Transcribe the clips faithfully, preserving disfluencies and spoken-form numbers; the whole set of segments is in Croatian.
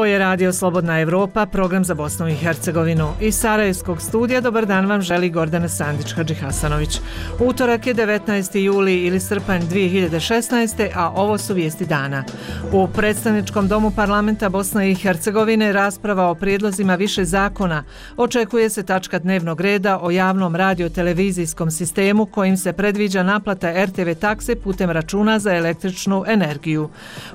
Ovo je Radio Slobodna Evropa, program za Bosnu i Hercegovinu. Iz Sarajevskog studija dobar dan vam želi Gordana Sandić-Hadžihasanović. Utorak je devetnaesti juli ili srpanj dvije hiljade šesnaeste. a ovo su vijesti dana. U Predstavničkom domu parlamenta Bosne i Hercegovine rasprava o prijedlozima više zakona. Očekuje se tačka dnevnog reda o javnom radio-televizijskom sistemu kojim se predviđa naplata er te ve takse putem računa za električnu energiju.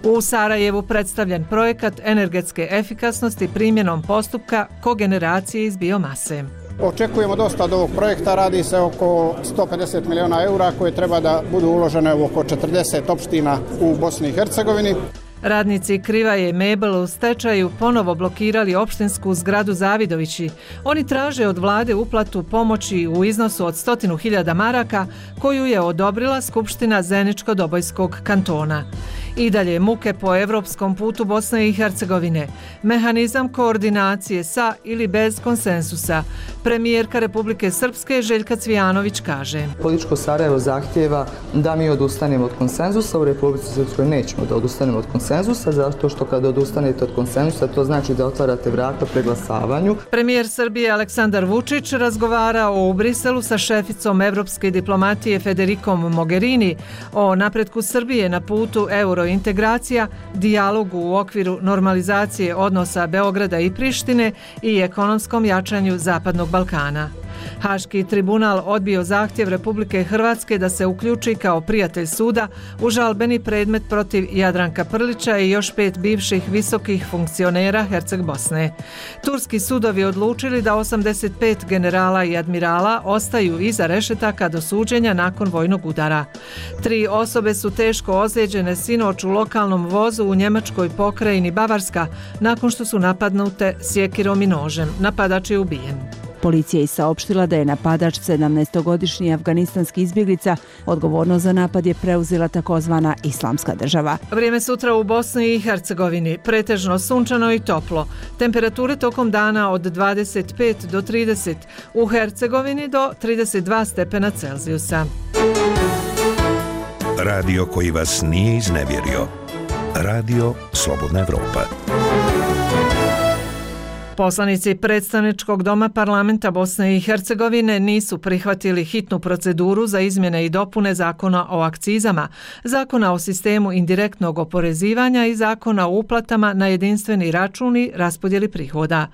U Sarajevu predstavljen projekat energetske efikasnosti primjenom postupka kogeneracije iz biomase. Očekujemo dosta od ovog projekta, radi se oko sto pedeset miliona eura koje treba da budu uložene u oko četrdeset opština u Bosni i Hercegovini. Radnici Krivaje Mebel u stečaju ponovo blokirali opštinsku zgradu Zavidovići. Oni traže od vlade uplatu pomoći u iznosu od stotinu hiljada maraka koju je odobrila Skupština Zeničko-Dobojskog kantona. I dalje muke po evropskom putu Bosne i Hercegovine. Mehanizam koordinacije sa ili bez konsensusa. Premijerka Republike Srpske Željka Cvijanović kaže: Političko Sarajevo zahtjeva da mi odustanemo od konsenzusa. U Republici Srpskoj nećemo da odustanemo od konsenzusa, zato što kada odustanete od konsenzusa to znači da otvarate vrata preglasavanju. Premijer Srbije Aleksandar Vučić razgovarao u Briselu sa šeficom evropske diplomatije Federikom Mogherini o napretku Srbije na putu eurointegracija, dijalogu u okviru normalizacije odnosa Beograda i Prištine i ekonomskom jačanju Zapadnog Balkana. Haški tribunal odbio zahtjev Republike Hrvatske da se uključi kao prijatelj suda u žalbeni predmet protiv Jadranka Prlića i još pet bivših visokih funkcionera Herceg Bosne. Turski sudovi odlučili da osamdeset pet generala i admirala ostaju iza rešetaka do suđenja nakon vojnog udara. Tri osobe su teško ozlijeđene sinoć u lokalnom vozu u njemačkoj pokrajini Bavarska nakon što su napadnute sjekirom i nožem. Napadač je ubijen. Policija je saopštila da je napadač sedamnaestogodišnji afganistanski izbjeglica. Odgovornost za napad je preuzela takozvana Islamska država. Vrijeme sutra u Bosni i Hercegovini. Pretežno sunčano i toplo. Temperature tokom dana od dvadeset pet do trideset. U Hercegovini do trideset dva stepena Celzijusa. Radio koji vas nije iznevjerio. Radio Slobodna Evropa. Poslanici Predstavničkog doma parlamenta Bosne i Hercegovine nisu prihvatili hitnu proceduru za izmjene i dopune Zakona o akcizama, Zakona o sistemu indirektnog oporezivanja i Zakona o uplatama na jedinstveni račun i raspodjeli prihoda.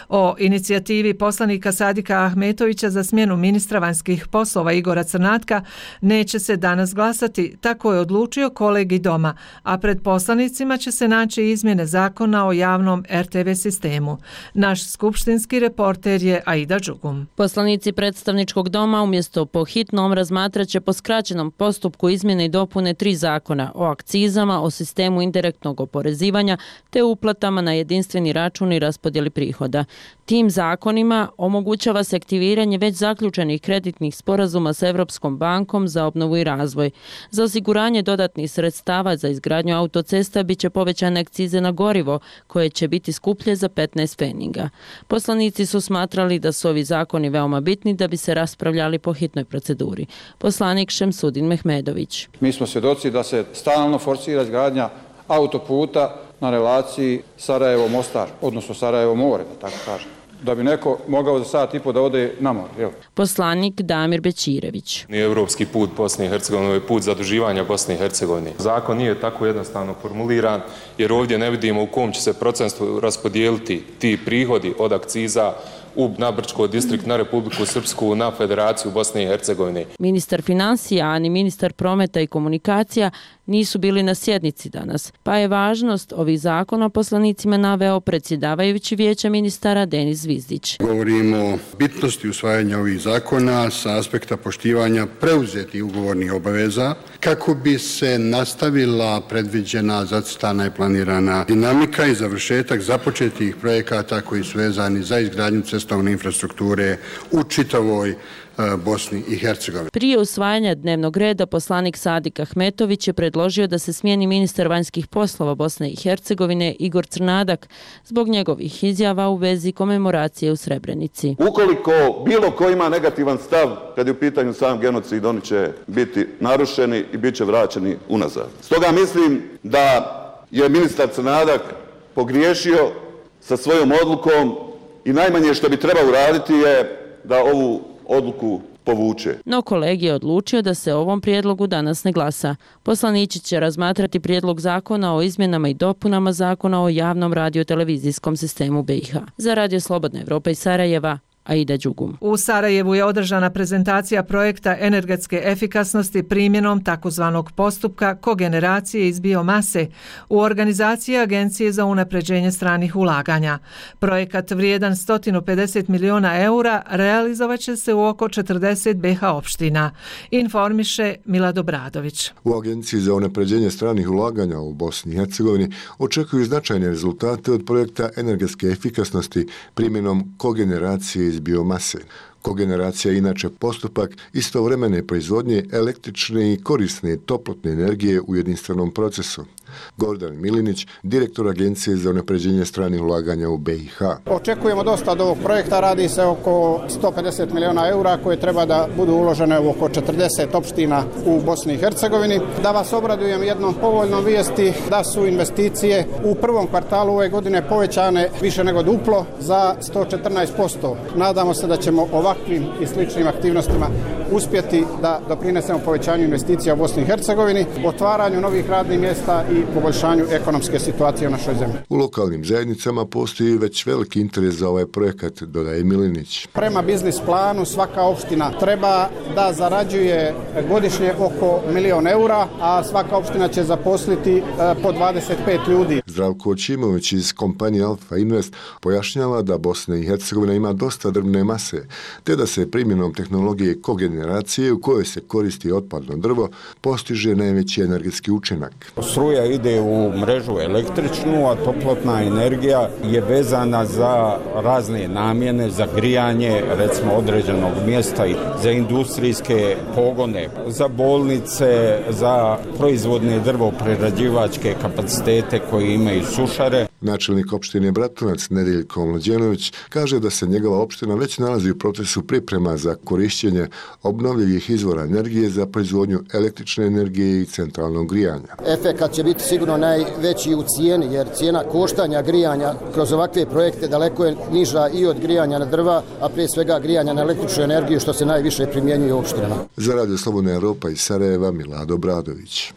O inicijativi poslanika Sadika Ahmetovića za smjenu ministra vanjskih poslova Igora Crnatka neće se danas glasati, tako je odlučio kolegi doma, a pred poslanicima će se naći izmjene Zakona o javnom er te ve sistemu. Naš skupštinski reporter je Aida Đugum. Poslanici Predstavničkog doma umjesto po hitnom razmatraće po skraćenom postupku izmjene i dopune tri zakona o akcizama, o sistemu indirektnog oporezivanja te uplatama na jedinstveni račun i raspodjeli prihoda. Tim zakonima omogućava se aktiviranje već zaključenih kreditnih sporazuma s Evropskom bankom za obnovu i razvoj. Za osiguranje dodatnih sredstava za izgradnju autocesta biće povećane akcize na gorivo, koje će biti skuplje za petnaest pfeniga. Poslanici su smatrali da su ovi zakoni veoma bitni da bi se raspravljali po hitnoj proceduri. Poslanik Šemsudin Mehmedović. Mi smo svjedoci da se stalno forsira izgradnja autoputa na relaciji Sarajevo-Mostar, odnosno Sarajevo-More, da tako kažem, da bi neko mogao za sat i po da ode na more. Jel? Poslanik Damir Bećirević. Nije evropski put Bosne i Hercegovine, je put zaduživanja Bosne i Hercegovine. Zakon nije tako jednostavno formuliran, jer ovdje ne vidimo u kom će se procentu raspodijeliti ti prihodi od akciza na Brčko distrikt, na Republiku Srpsku, na Federaciju Bosne i Hercegovine. Ministar financija, a ni ministar prometa i komunikacija nisu bili na sjednici danas, pa je važnost ovih zakona poslanicima naveo predsjedavajući vijeća ministara Denis Zvizdić. Govorimo o bitnosti usvajanja ovih zakona sa aspekta poštivanja preuzetih ugovornih obaveza kako bi se nastavila predviđena, zacrtana i planirana dinamika i završetak započetih projekata koji su vezani za izgradnju cestovne infrastrukture u čitavoj Bosni i Hercegovini. Prije usvajanja dnevnog reda poslanik Sadik Ahmetović je predložio da se smijeni ministar vanjskih poslova Bosne i Hercegovine Igor Crnadak zbog njegovih izjava u vezi komemoracije u Srebrenici. Ukoliko bilo ko ima negativan stav kad je u pitanju sam genocid, oni će biti narušeni i bit će vraćeni unazad. Stoga mislim da je ministar Crnadak pogriješio sa svojom odlukom i najmanje što bi trebao uraditi je da ovu odluku povuče. No kolegi je odlučio da se o ovom prijedlogu danas ne glasa. Poslanici će razmatrati prijedlog zakona o izmjenama i dopunama zakona o javnom radio-televizijskom sistemu B i H. Za Radio Slobodna Evropa iz Sarajeva, Aida Đugum. U Sarajevu je održana prezentacija projekta energetske efikasnosti primjenom takozvanog postupka kogeneracije iz biomase u organizaciji Agencije za unapređenje stranih ulaganja. Projekat vrijedan sto pedeset miliona eura realizovat će se u oko četrdeset B i H opština, informiše Milad Obradović. U Agenciji za unapređenje stranih ulaganja u Bosni i Hercegovini očekuju značajne rezultate od projekta energetske efikasnosti primjenom kogeneracije iz biomase. Kogeneracija je inače postupak istovremene proizvodnje električne i korisne toplotne energije u jedinstvenom procesu. Gordan Milinić, direktor Agencije za unapređenje stranih ulaganja u B i H. Očekujemo dosta od ovog projekta, radi se oko sto pedeset miliona eura koje treba da budu uložene u oko četrdeset opština u Bosni i Hercegovini. Da vas obradujem jednom povoljnom vijesti da su investicije u prvom kvartalu ove godine povećane više nego duplo za sto četrnaest posto. Nadamo se da ćemo ovakvim i sličnim aktivnostima uspjeti da doprinesemo povećanju investicija u Bosni i Hercegovini, otvaranju novih radnih mjesta i poboljšanju ekonomske situacije u našoj zemlji. U lokalnim zajednicama postoji već veliki interes za ovaj projekat, dodaje Milinić. Prema biznis planu svaka opština treba da zarađuje godišnje oko milion eura, a svaka opština će zaposliti po dvadeset pet ljudi. Zdravko Očimović iz kompanije Alfa Invest pojašnjava da Bosna i Hercegovina ima dosta drvne mase, te da se primjenom tehnologije kogeneracije u kojoj se koristi otpadno drvo postiže najveći energetski učinak. Struja ide u mrežu električnu, a toplotna energija je vezana za razne namjene, za grijanje recimo određenog mjesta i za industrijske pogone, za bolnice, za proizvodne drvoprerađivačke kapacitete koji imaju sušare. Načelnik opštine Bratunac Nedeljko Mlađenović kaže da se njegova opština već nalazi u procesu priprema za korišćenje obnovljivih izvora energije za proizvodnju električne energije i centralnog grijanja. Efekat će biti sigurno najveći u cijeni, jer cijena koštanja grijanja kroz ovakve projekte daleko je niža i od grijanja na drva, a prije svega grijanja na električnu energiju, što se najviše primjenjuje u opštinama. Za Radio Slobodna Evropa iz Sarajeva, Milad Obradović.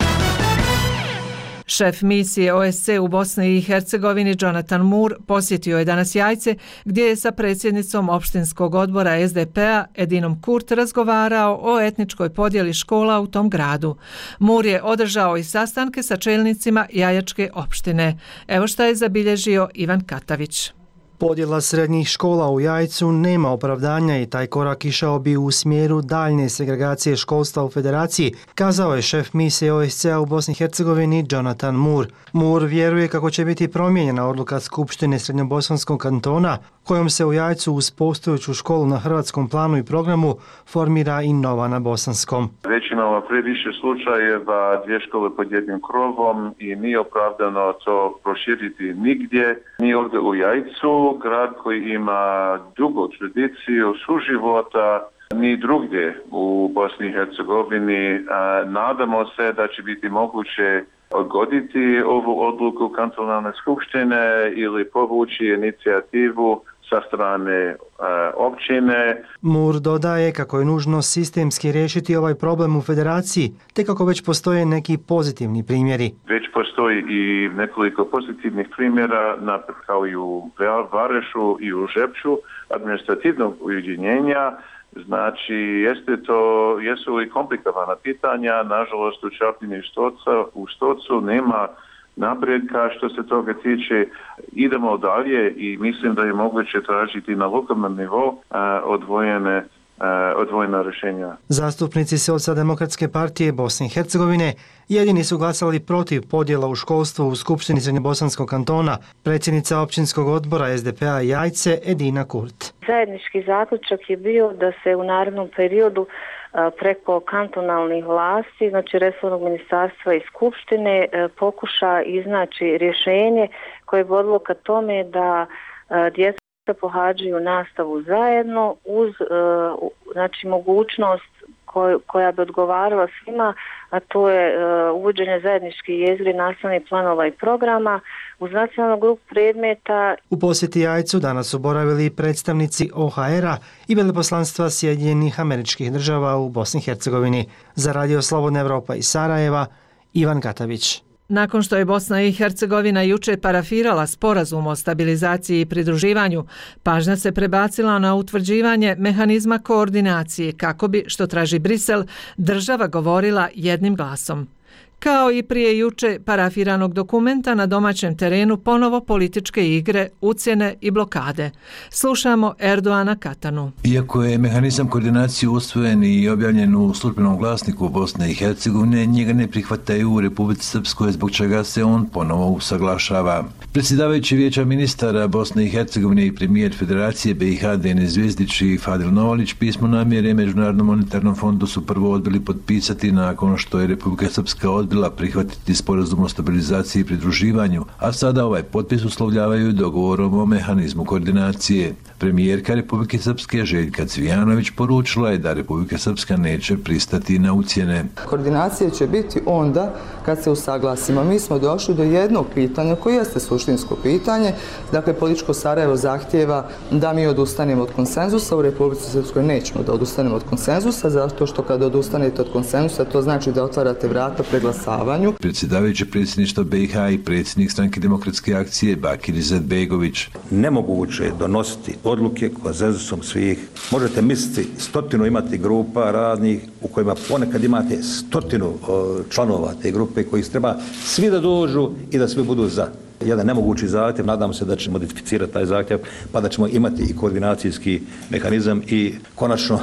Šef misije O S C u Bosni i Hercegovini Jonathan Moore posjetio je danas Jajce, gdje je sa predsjednicom opštinskog odbora S D P-a Edinom Kurt razgovarao o etničkoj podjeli škola u tom gradu. Moore je održao i sastanke sa čelnicima Jajačke opštine. Evo šta je zabilježio Ivan Katavić. Podjela srednjih škola u Jajcu nema opravdanja i taj korak išao bi u smjeru daljne segregacije školstva u federaciji, kazao je šef misije O S C-a u Bosni i Hercegovini Jonathan Moore. Moore vjeruje kako će biti promijenjena odluka Skupštine Srednjobosanskog kantona, kojom se u Jajcu uz postojeću školu na hrvatskom planu i programu formira i nova na bosanskom. Već imamo previše slučajeva dvije škole pod jednim krovom i nije opravdano to proširiti nigdje, ni ovdje u Jajcu, grad koji ima dugu tradiciju suživota, ni drugdje u Bosni i Hercegovini. Nadamo se da će biti moguće odgoditi ovu odluku kantonalne skupštine ili povući inicijativu sa strane uh, općine. Moore dodaje kako je nužno sistemski riješiti ovaj problem u federaciji, te kako već postoje neki pozitivni primjeri. Već postoji i nekoliko pozitivnih primjera, napred kao i u Varešu i u Žepču, administrativnog ujedinjenja. Znači, jeste to, jesu li komplikovana pitanja, nažalost u Čapljini i u Stocu nema napredka što se toga tiče. Idemo dalje i mislim da je moguće tražiti na lokalnom nivou odvojene odvojena rješenja. Zastupnici Socijaldemokratske partije Bosne i Hercegovine jedini su glasali protiv podjela u školstvu u Skupštini Srednjobosanskog kantona, predsjednica općinskog odbora S D P-a Jajce Edina Kurt. Zajednički zaključak je bio da se u narednom periodu preko kantonalnih vlasti, znači resornog ministarstva i skupštine, pokuša iznaći rješenje koje bi vodilo ka tome da djeca pohađaju nastavu zajedno uz znači mogućnost koj, koja bi odgovarala svima, a to je uh, uvođenje zajedničkih jezgri nastavnih planova i programa uz nacionalnu grupu predmeta. U posjeti Jajcu danas su boravili predstavnici O H R-a i veleposlanstva Sjedinjenih Američkih Država u Bosni i Hercegovini. Za Radio Slobodna Evropa iz Sarajeva, Ivan Katavić. Nakon što je Bosna i Hercegovina juče parafirala sporazum o stabilizaciji i pridruživanju, pažnja se prebacila na utvrđivanje mehanizma koordinacije kako bi, što traži Brisel, država govorila jednim glasom. Kao i prije juče parafiranog dokumenta na domaćem terenu ponovo političke igre, ucjene i blokade. Slušamo Erdoana Katanu. Iako je mehanizam koordinacije usvojen i objavljen u službenom glasniku Bosne i Hercegovine, njega ne prihvataju u Republici Srpskoj, zbog čega se on ponovo usaglašava. Predsjedavajući vijeća ministara Bosne i Hercegovine i premijer Federacije B i H Denis Zvjezdić i Fadil Novalić pismo namjere Međunarodnom monetarnom fondu su prvo odbili potpisati nakon što je Republika Srpska odbila prihvatiti sporazum o stabilizaciji i pridruživanju, a sada ovaj potpis uslovljavaju dogovorom o mehanizmu koordinacije. Premijerka Republike Srpske Željka Cvijanović poručila je da Republika Srpska neće pristati na ucjene. Koordinacija će biti onda kad se usaglasimo. Mi smo došli do jednog pitanja koje jeste suštinsko pitanje. Dakle, političko Sarajevo zahtjeva da mi odustanemo od konsenzusa. U Republici Srpskoj nećemo da odustanemo od konsenzusa, zato što kad odustanete od konsenzusa, to znači da otvarate vrata preglasavanju. Predsjedavajući predsjedništva B i H i predsjednik Stranke demokratske akcije Bakir Izetbegović. Nemoguće je donositi odluke konsenzusom svih. Možete misliti stotinu imati grupa radnih u kojima ponekad imate stotinu članova te grupe koji treba svi da dođu i da svi budu za. Jedan nemogući zahtjev, nadam se da ćemo modificirati taj zahtjev pa da ćemo imati i koordinacijski mehanizam i konačno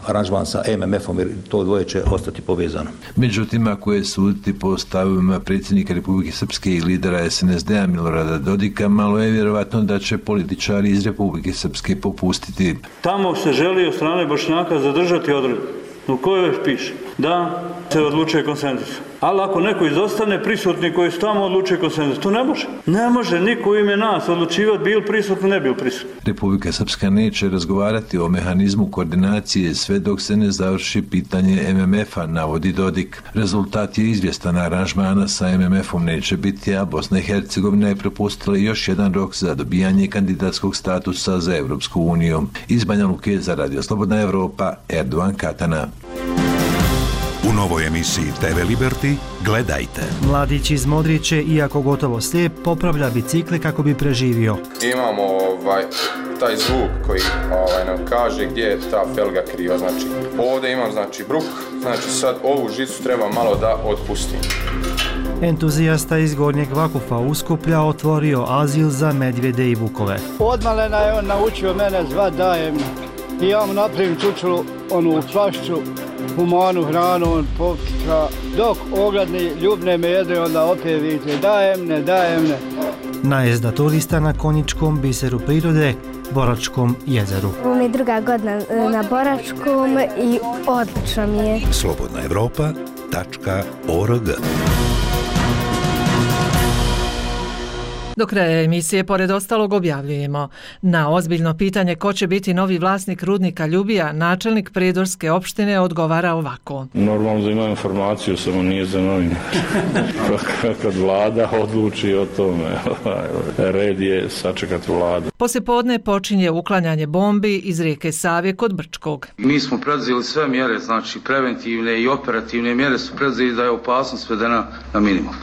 aranžman sa M M F-om, jer to dvoje će ostati povezano. Međutim, ako je suditi po stavovima predsjednika Republike Srpske i lidera S N S D-a Milorada Dodika, malo je vjerovatno da će političari iz Republike Srpske popustiti. Tamo se želi od strane Bošnjaka zadržati odredbu u kojoj piše da se odlučuje konsenzus. Ali ako neko izostane, prisutni koji su tamo odlučuje konsenzus, to ne može. Ne može niko u ime nas odlučivati bil prisutni, ne bil prisutni. Republika Srpska neće razgovarati o mehanizmu koordinacije sve dok se ne završi pitanje M M F-a, navodi Dodik. Rezultat je izvjestan, aranžmana sa M M F-om neće biti, a Bosna i Hercegovina je propustila još jedan rok za dobijanje kandidatskog statusa za Evropsku uniju. Iz Banja Luke za Radio Slobodna Evropa, Erdoan Katana. U novoj emisiji T V Liberty gledajte. Mladić iz Modriće, iako gotovo slijep, popravlja bicikle kako bi preživio. Imamo ovaj, taj zvuk koji ovaj, nam kaže gdje je ta felga kriva. Znači, ovdje imam znači, bruk, znači sad ovu žicu treba malo da otpustim. Entuzijasta iz Gornjeg Vakufa Uskuplja otvorio azil za medvjede i vukove. Odmalena je on naučio mene zvat dajem i ja mu napravim čučulu, onu flašću, humanu hranu, on popika, dok ogladni ljubne me jedre, onda opet vidite, dajem ne, dajem ne. Najezda turista na konjičkom biseru prirode, Boračkom jezeru. Ovo mi je druga godina na Boračkom i odlično mi je. slobodna evropa tačka org. Do kraja emisije, pored ostalog, objavljujemo. Na ozbiljno pitanje ko će biti novi vlasnik rudnika Ljubija, načelnik Prijedorske opštine odgovara ovako. Normalno da ima informaciju, samo nije za novine. Kad vlada odluči o tome, red je sačekati vladu. Poslijepodne počinje uklanjanje bombi iz rijeke Save kod Brčkog. Mi smo predzeli sve mjere, znači preventivne i operativne mjere su predzeli da je opasnost svedena na minimum.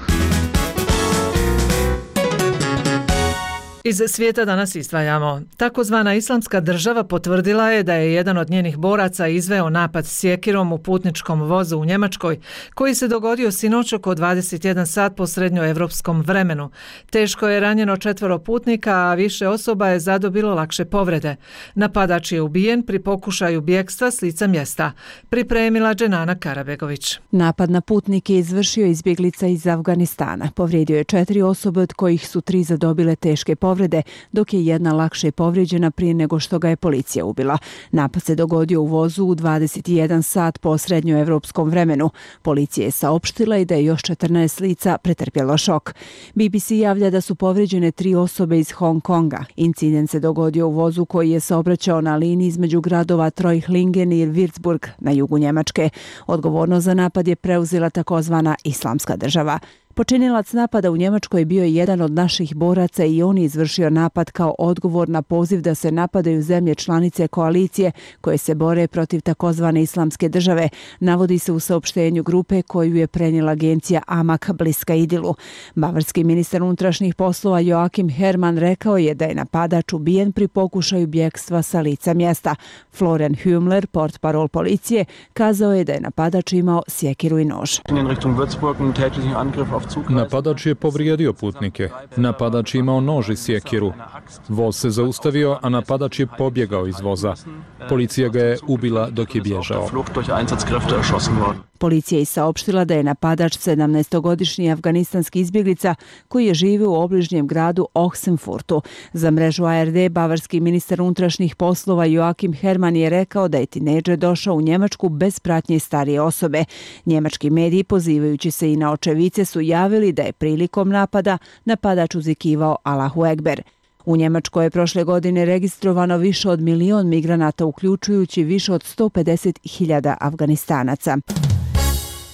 Iz svijeta danas izdvajamo. Takozvana Islamska država potvrdila je da je jedan od njenih boraca izveo napad sjekirom u putničkom vozu u Njemačkoj, koji se dogodio sinoć oko dvadeset jedan sat po srednjoevropskom vremenu. Teško je ranjeno četvoro putnika, a više osoba je zadobilo lakše povrede. Napadač je ubijen pri pokušaju bjegstva s lica mjesta. Pripremila Dženana Karabegović. Napad na putnike izvršio izbjeglica iz Afganistana. Povrijedio je četiri osobe, od kojih su tri zadobile teške povrede. povrede, dok je jedna lakše povrijeđena prije nego što ga je policija ubila. Napad se dogodio u vozu u dvadeset jedan sat po srednjoevropskom vremenu. Policija je saopštila i da je još četrnaest lica pretrpjelo šok. B B C javlja da su povrijeđene tri osobe iz Hong Konga. Incident se dogodio u vozu koji je saobraćao na liniji između gradova Treuchtlingen i Würzburg na jugu Njemačke. Odgovornost za napad je preuzela takozvana Islamska država. Počinilac napada u Njemačkoj bio je jedan od naših boraca i on je izvršio napad kao odgovor na poziv da se napadaju zemlje članice koalicije koje se bore protiv takozvane Islamske države, navodi se u saopštenju grupe koju je prenijela agencija Amak bliska Idilu. Bavarski ministar unutrašnjih poslova Joachim Herrmann rekao je da je napadač ubijen pri pokušaju bjegstva sa lica mjesta. Florian Hümler, portparol policije, kazao je da je napadač imao sjekiru i nož. Napadač je povrijedio putnike. Napadač je imao nož i sjekiru. Voz se zaustavio, a napadač je pobjegao iz voza. Policija ga je ubila dok je bježao. Policija je saopštila da je napadač sedamnaestogodišnji afganistanski izbjeglica koji je živio u obližnjem gradu Ochsenfurtu. Za mrežu A R D bavarski ministar unutrašnjih poslova Joachim Herrmann je rekao da je tinejdžer došao u Njemačku bez pratnje starije osobe. Njemački mediji, pozivajući se i na očevice, su javili da je prilikom napada napadač uzvikivao Allahu Ekber. U Njemačkoj je prošle godine registrovano više od milion migranata, uključujući više od sto pedeset hiljada Afganistanaca.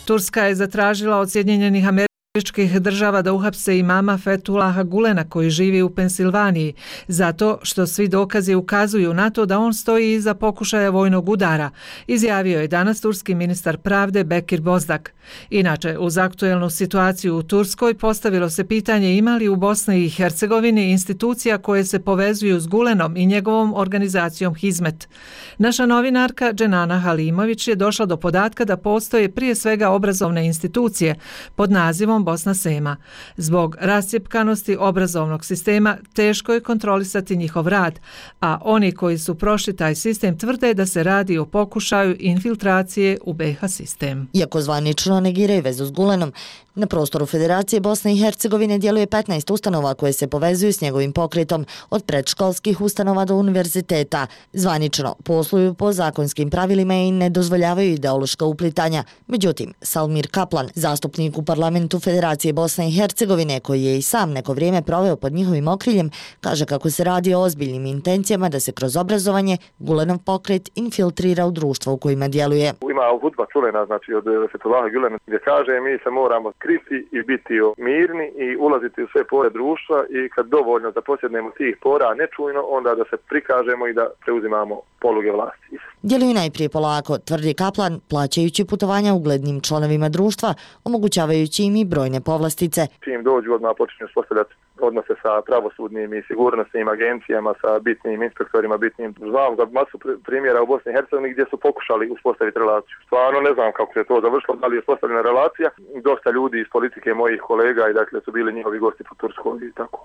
Turska je zatražila od Sjedinjenih Američkih Država da uhapse imama Fethullaha Gulena koji živi u Pensilvaniji, zato što svi dokazi ukazuju na to da on stoji iza pokušaja vojnog udara, izjavio je danas turski ministar pravde Bekir Bozdak. Inače, uz aktuelnu situaciju u Turskoj postavilo se pitanje ima li u Bosni i Hercegovini institucija koje se povezuju s Gulenom i njegovom organizacijom Hizmet. Naša novinarka Dženana Halimović je došla do podatka da postoje prije svega obrazovne institucije pod nazivom Bosna Sema. Zbog rascjepkanosti obrazovnog sistema teško je kontrolisati njihov rad, a oni koji su prošli taj sistem tvrde da se radi o pokušaju infiltracije u B i H sistem. Iako zvanično negiraju vezu s Gulenom, na prostoru Federacije Bosne i Hercegovine djeluje petnaest ustanova koje se povezuju s njegovim pokretom, od predškolskih ustanova do univerziteta. Zvanično posluju po zakonskim pravilima i ne dozvoljavaju ideološka uplitanja. Međutim, Salmir Kaplan, zastupnik u parlamentu Federacije Bosne i Hercegovine, koji je i sam neko vrijeme proveo pod njihovim okriljem, kaže kako se radi o ozbiljnim intencijama da se kroz obrazovanje Gulenov pokret infiltrira u društvo u kojima djeluje. Ima hudba čulena, znači od Fethullaha Gulena, gdje kaže mi se moramo kriti i biti mirni i ulaziti u sve pore društva i kad dovoljno da posjednemo tih pora nečujno, onda da se prikažemo i da preuzimamo poluge vlasti. Djeluju najprije polako, tvrdi Kaplan, plaćajući putovanja uglednim članovima društva, omogućavajući im i brojne povlastice. Čim dođu odmah počinju uspostavljati odnose sa pravosudnim i sigurnosnim agencijama, sa bitnim inspektorima, bitnim. Znam za masu primjera u Bosni i Hercegovini gdje su pokušali uspostaviti relaciju. Stvarno ne znam kako se to završilo, da li je uspostavljena relacija. Dosta ljudi iz politike mojih kolega i dakle su bili njihovi gosti po Turskoj i tako.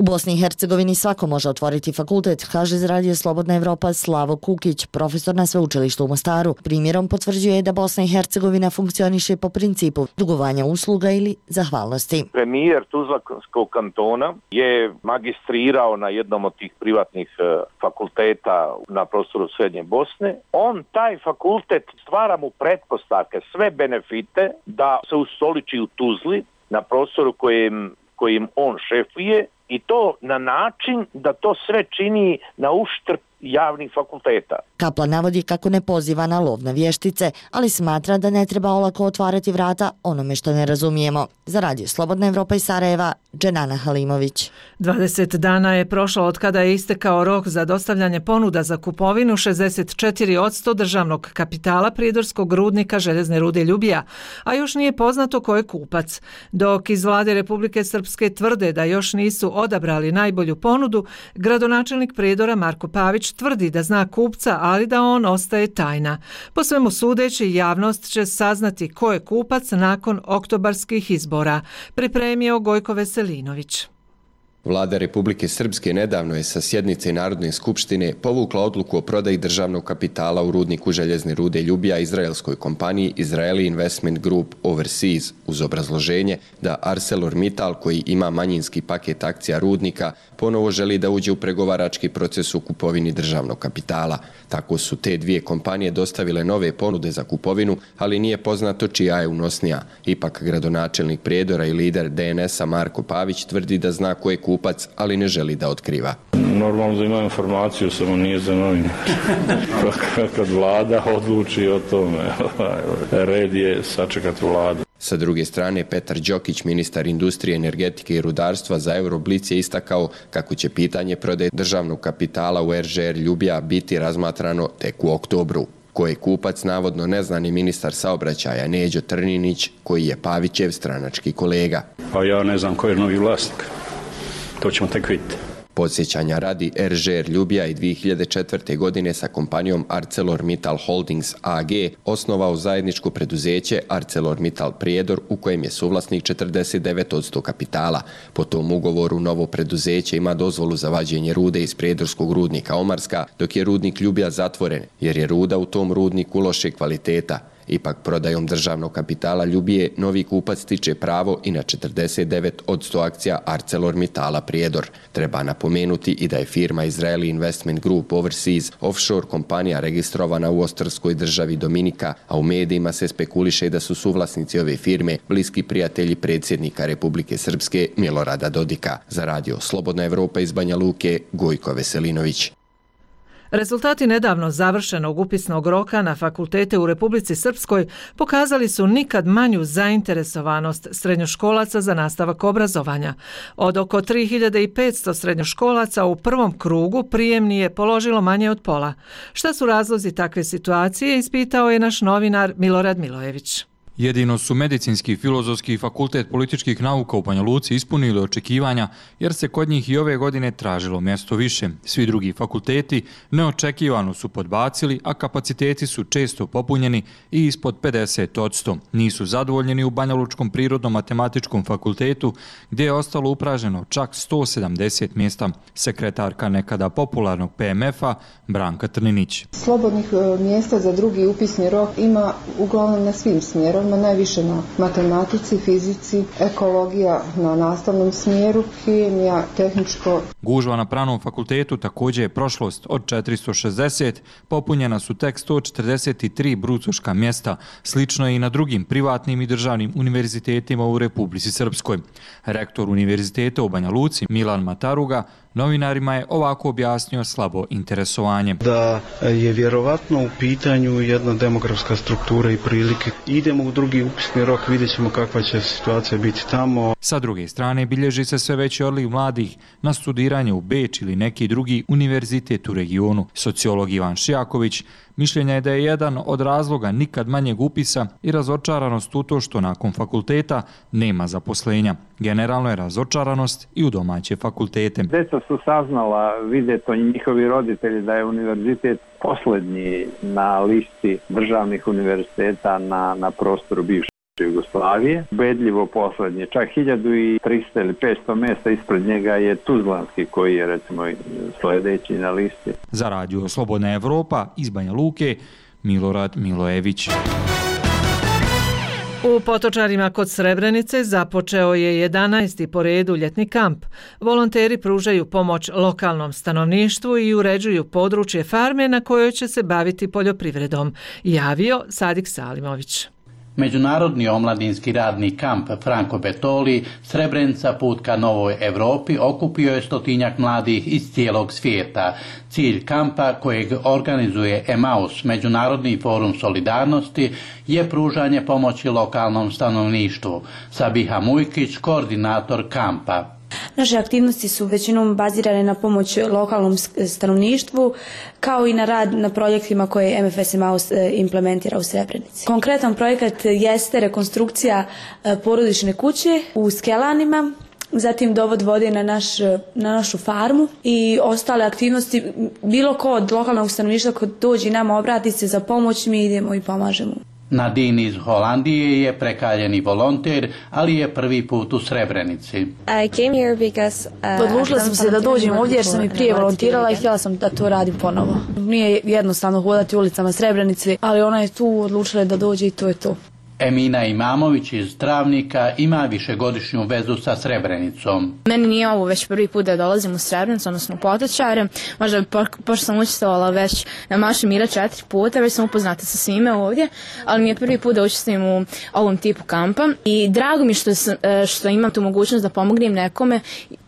U Bosni i Hercegovini svako može otvoriti fakultet, kaže za Radio Slobodna Evropa Slavo Kukić, profesor na sveučilištu u Mostaru. Primjerom potvrđuje da Bosna i Hercegovina funkcioniše po principu dugovanja usluga ili zahvalnosti. Premijer Tuzlanskog kantona je magistrirao na jednom od tih privatnih fakulteta na prostoru Srednje Bosne. On taj fakultet stvara mu pretpostavke, sve benefite da se ustoliči u Tuzli na prostoru kojim, kojim on šefuje i to na način da to sve čini na uštrb javnih fakulteta. Kaplan navodi kako ne poziva na lov na vještice, ali smatra da ne treba olako otvarati vrata onome što ne razumijemo. Za Radio Slobodna Evropa iz Sarajeva, Dženana Halimović. dvadeset dana je prošlo od kada je istekao rok za dostavljanje ponuda za kupovinu šezdeset četiri posto državnog kapitala Prijedorskog rudnika željezne rude Ljubija, a još nije poznato ko je kupac. Dok iz vlade Republike Srpske tvrde da još nisu odabrali najbolju ponudu, gradonačelnik Prijedora Marko Pavić tvrdi da zna kupca, ali da on ostaje tajna. Po svemu sudeći, javnost će saznati ko je kupac nakon oktobarskih izbora, pripremio Gojko Veselinović. Vlada Republike Srpske nedavno je sa sjednice Narodne skupštine povukla odluku o prodaji državnog kapitala u rudniku željezne rude Ljubija izraelskoj kompaniji Israeli Investment Group Overseas uz obrazloženje da ArcelorMittal, koji ima manjinski paket akcija rudnika, ponovo želi da uđe u pregovarački proces u kupovini državnog kapitala. Tako su te dvije kompanije dostavile nove ponude za kupovinu, ali nije poznato čija je unosnija. Ipak gradonačelnik Prijedora i lider D N S-a Marko Pavić tvrdi da zna ko je kupac, ali ne želi da otkriva. Normalno da ima informaciju, samo nije za novine. Kad vlada odluči o tome, red je sačekati vladu. Sa druge strane, Petar Đokić, ministar industrije, energetike i rudarstva za Euroblic je istakao kako će pitanje prodaje državnog kapitala u R Ž R Ljubija biti razmatrano tek u oktobru. Ko je kupac, navodno ne zna ni ministar saobraćaja Neđo Trninić, koji je Pavićev stranački kolega. Pa ja ne znam ko je novi vlasnik. To ćemo tek vidjeti. Podsjećanja radi, R Ž R Ljubija i dvije hiljade četvrte. godine sa kompanijom ArcelorMittal Holdings A G osnovao zajedničko preduzeće ArcelorMittal Prijedor, u kojem je suvlasnik četrdeset devet posto kapitala. Po tom ugovoru novo preduzeće ima dozvolu za vađenje rude iz prijedorskog rudnika Omarska, dok je rudnik Ljubija zatvoren, jer je ruda u tom rudniku loše kvaliteta. Ipak prodajom državnog kapitala Ljubije novi kupac stiče pravo i na četrdeset devet posto akcija ArcelorMittala Prijedor. Treba napomenuti i da je firma Israeli Investment Group Overseas offshore kompanija registrovana u ostrvskoj državi Dominika, a u medijima se spekuliše da su suvlasnici ove firme bliski prijatelji predsjednika Republike Srpske Milorada Dodika. Za radio Slobodna Evropa iz Banja Luke, Gojko Veselinović. Rezultati nedavno završenog upisnog roka na fakultete u Republici Srpskoj pokazali su nikad manju zainteresovanost srednjoškolaca za nastavak obrazovanja. Od oko tri hiljade petsto srednjoškolaca u prvom krugu prijemni je položilo manje od pola. Šta su razlozi takve situacije, ispitao je naš novinar Milorad Milojević. Jedino su Medicinski filozofski fakultet političkih nauka u Banja Luci ispunili očekivanja, jer se kod njih i ove godine tražilo mjesto više. Svi drugi fakulteti neočekivano su podbacili, a kapaciteti su često popunjeni i ispod pedeset posto. Nisu zadovoljeni u Banja Lučkom prirodno-matematičkom fakultetu, gdje je ostalo upraženo čak sto sedamdeset mjesta. Sekretarka nekada popularnog P M F-a Branka Trninić. Slobodnih mjesta za drugi upisni rok ima uglavnom na svim smjerovima, najviše na matematici, fizici, ekologija na nastavnom smjeru, hemija, tehničko. Gužva na Pravnom fakultetu također je prošlost. Od četiristo šezdeset popunjena su tek sto četrdeset tri brucoška mjesta. Slično je i na drugim privatnim i državnim univerzitetima u Republici Srpskoj. Rektor univerziteta u Banja Luci Milan Mataruga novinarima je ovako objasnio slabo interesovanje. Da je vjerovatno u pitanju jedna demografska struktura i prilike. Idemo u drugi upisni rok, vidjet ćemo kakva će situacija biti tamo. Sa druge strane, bilježi se sve veći odliv mladih na studiranje u Beč ili neki drugi univerzitet u regionu. Sociolog Ivan Šijaković mišljenja je da je jedan od razloga nikad manjeg upisa i razočaranost u to što nakon fakulteta nema zaposlenja. Generalno je razočaranost i u domaće fakultete. Deca su saznala, vide to njihovi roditelji, da je univerzitet posljednji na listi državnih univerziteta na, na prostoru bivše Jugoslavije. Ubedljivo posljednji, čak hiljadu trista ili petsto mjesta ispred njega je Tuzlanski, koji je recimo sljedeći na listi. Za radio Slobodna Evropa iz Banja Luke, Milorad Milojević. U Potočarima kod Srebrenice započeo je jedanaesti po redu ljetni kamp. Volonteri pružaju pomoć lokalnom stanovništvu i uređuju područje farme na kojoj će se baviti poljoprivredom, javio Sadik Salimović. Međunarodni omladinski radni kamp Franko Betoli Srebrenica put ka Novoj Evropi okupio je stotinjak mladih iz cijelog svijeta. Cilj kampa, kojeg organizuje Emaus, Međunarodni forum solidarnosti, je pružanje pomoći lokalnom stanovništvu. Sabiha Mujkić, koordinator kampa. Naše aktivnosti su većinom bazirane na pomoć lokalnom stanovništvu, kao i na rad na projektima koje M F S Emaus implementira u Srebrenici. Konkretan projekat jeste rekonstrukcija porodične kuće u Skelanima, zatim dovod vode na, naš, na našu farmu i ostale aktivnosti. Bilo ko od lokalnog stanovništva ko dođe nama obrati se za pomoć, mi idemo i pomažemo. Nadine iz Holandije je prekaljeni volonter, ali je prvi put u Srebrenici. Odlučila sam se da dođem ovdje jer sam i prije volontirala i htjela sam da to radim ponovo. Nije jednostavno hodati ulicama Srebrenice, ali ona je tu odlučila da dođe i to je to. Emina Imamović iz Travnika ima višegodišnju vezu sa Srebrenicom. Meni nije ovo već prvi put da dolazim u Srebrenicu, odnosno u Potočare. Možda bi, pošto sam učestvovala već na Maršu mira četiri puta, već sam upoznata sa svime ovdje, ali mi je prvi put da učestvujem u ovom tipu kampa i drago mi što, sam, što imam tu mogućnost da pomognem nekome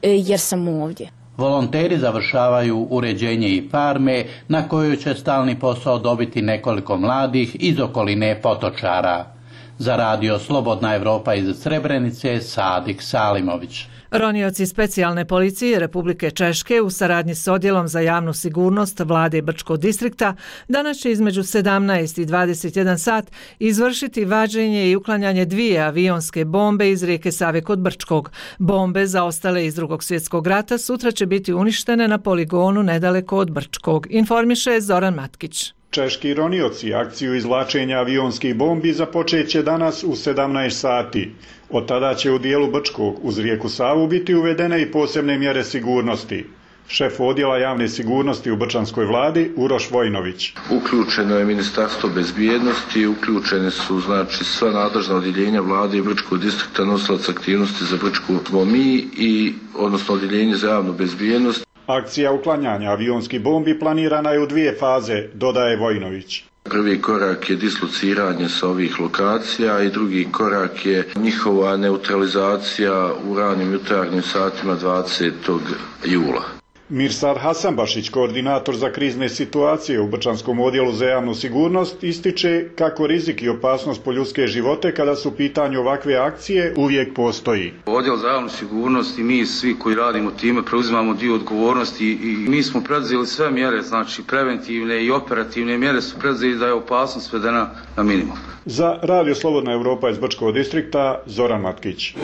jer sam ovdje. Volonteri završavaju uređenje i farme na kojoj će stalni posao dobiti nekoliko mladih iz okoline Potočara. Za radio Slobodna Evropa iz Srebrenice, Sadik Salimović. Ronioci specijalne policije Republike Češke u saradnji s Odjelom za javnu sigurnost vlade Brčkog distrikta danas će između sedamnaest i dvadeset jedan sat izvršiti vađenje i uklanjanje dvije avionske bombe iz rijeke Save kod Brčkog. Bombe zaostale iz Drugog svjetskog rata sutra će biti uništene na poligonu nedaleko od Brčkog, informiše Zoran Matkić. Češki ronioci akciju izvlačenja avionskih bombi započet će danas u sedamnaest sati. Od tada će u dijelu Brčkog uz rijeku Savu biti uvedene i posebne mjere sigurnosti. Šef odjela javne sigurnosti u Brčanskoj vladi Uroš Vojnović. Uključeno je Ministarstvo bezbjednosti, uključene su znači sva nadležna odjeljenja vlade i Brčkog distrikta, nosilac aktivnosti za Brčku mi i odnosno odjeljenje za javnu bezbjednost. Akcija uklanjanja avionskih bombi planirana je u dvije faze, dodaje Vojnović. Prvi korak je dislociranje sa ovih lokacija i drugi korak je njihova neutralizacija u ranim jutarnjim satima dvadesetog jula. Mirsad Hasanbašić, koordinator za krizne situacije u Brčanskom odjelu za javnu sigurnost, ističe kako rizik i opasnost po ljudske živote kada su u pitanju ovakve akcije uvijek postoji. Odjel za javnu sigurnost i mi svi koji radimo time preuzimamo dio odgovornosti i mi smo preduzeli sve mjere, znači preventivne i operativne mjere su preduzeli da je opasnost svedena na minimum. Za radio Slobodna Evropa iz Brčkog distrikta, Zoran Matkić.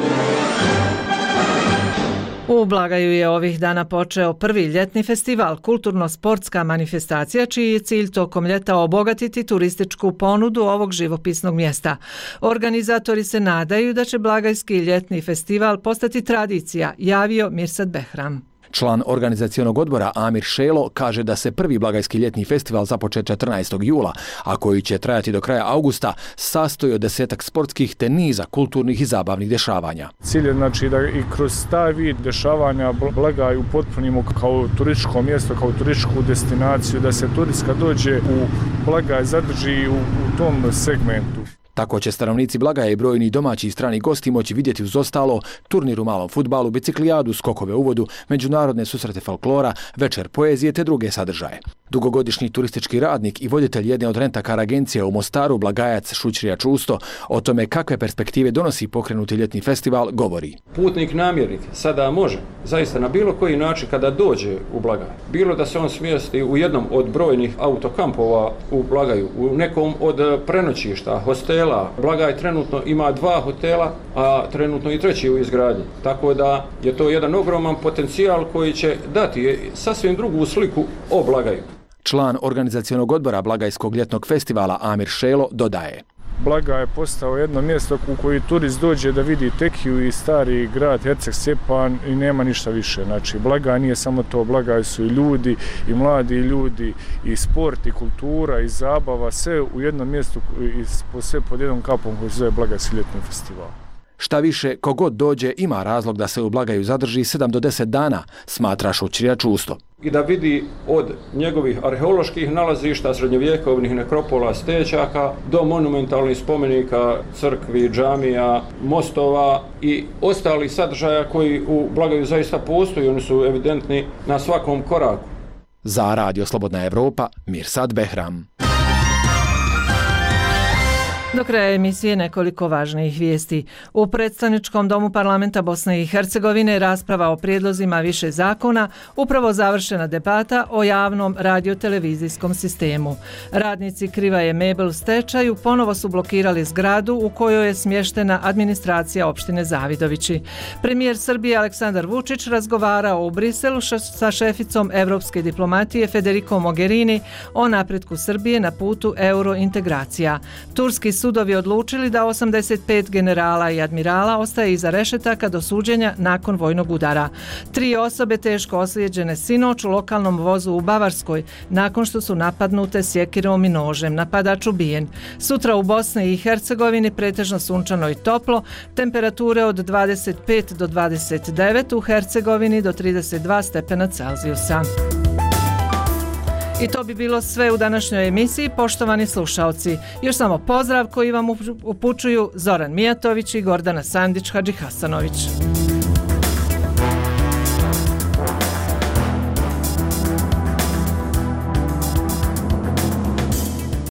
U Blagaju je ovih dana počeo prvi ljetni festival, kulturno-sportska manifestacija čiji je cilj tokom ljeta obogatiti turističku ponudu ovog živopisnog mjesta. Organizatori se nadaju da će Blagajski ljetni festival postati tradicija, javio Mirsad Behram. Član organizacionog odbora Amir Šelo kaže da se prvi Blagajski ljetni festival započet četrnaestog jula, a koji će trajati do kraja augusta, sastoji od desetak sportskih te niza kulturnih i zabavnih dešavanja. Cilj je znači da i kroz taj vid dešavanja Blagaj upotpunimo kao turističko mjesto, kao turističku destinaciju, da se turistka dođe u Blagaj, zadrži u, u tom segmentu. Tako će stanovnici Blagaja i brojni domaći i strani gosti moći vidjeti uz ostalo turnir u malom fudbalu, biciklijadu, skokove u vodu, međunarodne susrete folklora, večer poezije te druge sadržaje. Dugogodišnji turistički radnik i voditelj jedne od rentakar agencija u Mostaru, Blagajac Šućrija Čusto, o tome kakve perspektive donosi pokrenuti ljetni festival, govori. Putnik namjernik sada može, zaista na bilo koji način kada dođe u Blagaj, bilo da se on smjesti u jednom od brojnih autokampova u Blagaju, u nekom od prenoćišta, hostela. Blagaj trenutno ima dva hotela, a trenutno i treći u izgradnji. Tako da je to jedan ogroman potencijal koji će dati sasvim drugu sliku o Blagaju. Član organizacionog odbora Blagajskog ljetnog festivala Amir Šelo dodaje. Blagaj je postao jedno mjesto u koji turist dođe da vidi Tekiju i stari grad Herceg Stjepan i nema ništa više. Znači, Blagaj nije samo to, Blagaj su i ljudi, i mladi ljudi, i sport, i kultura, i zabava, sve u jednom mjestu i sve pod jednom kapom koji se zove Blagajski ljetni festival. Šta više, kogod dođe ima razlog da se u Blagaju zadrži sedam do deset dana, smatra Šućrija Čusto. I da vidi od njegovih arheoloških nalazišta, srednjovjekovnih nekropola, stećaka, do monumentalnih spomenika, crkvi, džamija, mostova i ostalih sadržaja koji u Blagaju zaista postoji, oni su evidentni na svakom koraku. Za radio Slobodna Evropa, Mirsad Behram. Do kraja emisije nekoliko važnijih vijesti. U predstavničkom domu parlamenta Bosne i Hercegovine rasprava o prijedlozima više zakona, upravo završena debata o javnom radiotelevizijskom sistemu. Radnici Krivaje Mebel u stečaju ponovo su blokirali zgradu u kojoj je smještena administracija opštine Zavidovići. Premijer Srbije Aleksandar Vučić razgovarao u Briselu sa šeficom evropske diplomatije Federikom Mogherini o napretku Srbije na putu eurointegracija. Turski sudovi odlučili da osamdeset pet generala i admirala ostaje iza rešetaka do suđenja nakon vojnog udara. Tri osobe teško ozlijeđene sinoć u lokalnom vozu u Bavarskoj nakon što su napadnute sjekirom i nožem. Napadač ubijen. Sutra u Bosni i Hercegovini pretežno sunčano i toplo, temperature od dvadeset pet do dvadeset devet, u Hercegovini do trideset dva stepena Celzijusa. I to bi bilo sve u današnjoj emisiji, poštovani slušaoci. Još samo pozdrav koji vam upućuju Zoran Mijatović i Gordana Sandić-Hadžihasanović.